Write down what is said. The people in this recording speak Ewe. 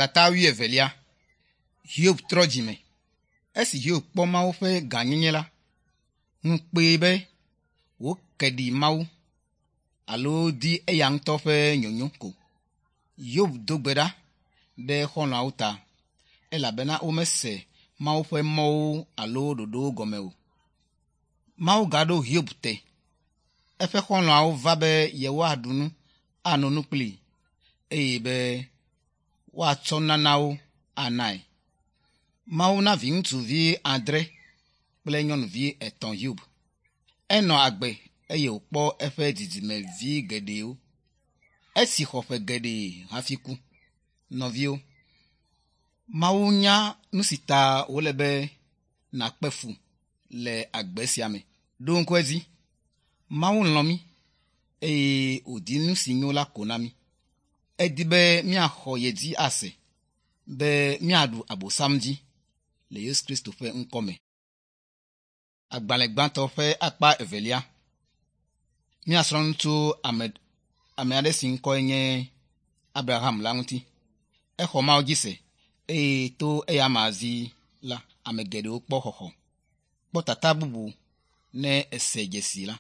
Tata wuievelia. Hiob trɔ dzime. Esi Hiob kpɔ Mawu ƒe gãnyenye la, ŋu kpee be wòke ɖi Mawu alo di eya ŋutɔ ƒe nyonyo ko. Hiob do gbe ɖa ɖe xɔlɔ̃awo ta elabena womese Mawu ƒe mɔwo alo ɖoɖowo gɔme o. Mawu gaɖo Hiob te. Eƒe xɔlɔ̃awo va be yewoaɖu nu, ano nu kplii eye be woatsɔ nanawo anae. Mawu na viŋutsuvi adre kple nyɔnuvi etɔ̃ Hiob. Enɔ agbe eye wòkpɔ eƒe dzidzimevi geɖewo. Esi xɔ ƒe geɖe hafi ku. Nɔviwo, Mawu nya nu si ta wòle be nàkpe fu le agbe sia me. Ɖo ŋku edzi, Mawu lɔ̃ mí eye wòdi nu si nyo la ko na mí. Edi be míaxɔ ye dzi ase be míaɖu Abosam dzi le Yesu Kristo ƒe ŋkɔ me. Agbalẽ gbãtɔ ƒe akpa evelia. Míasrɔ̃ nu tso ame ame aɖe si ŋkɔe nye Abraham la ŋuti. Exɔ Mawu dzi se eye to eya amea dzi la, ame geɖewo kpɔ xɔxɔ. Kpɔ tata bubu ne èse dzesi la.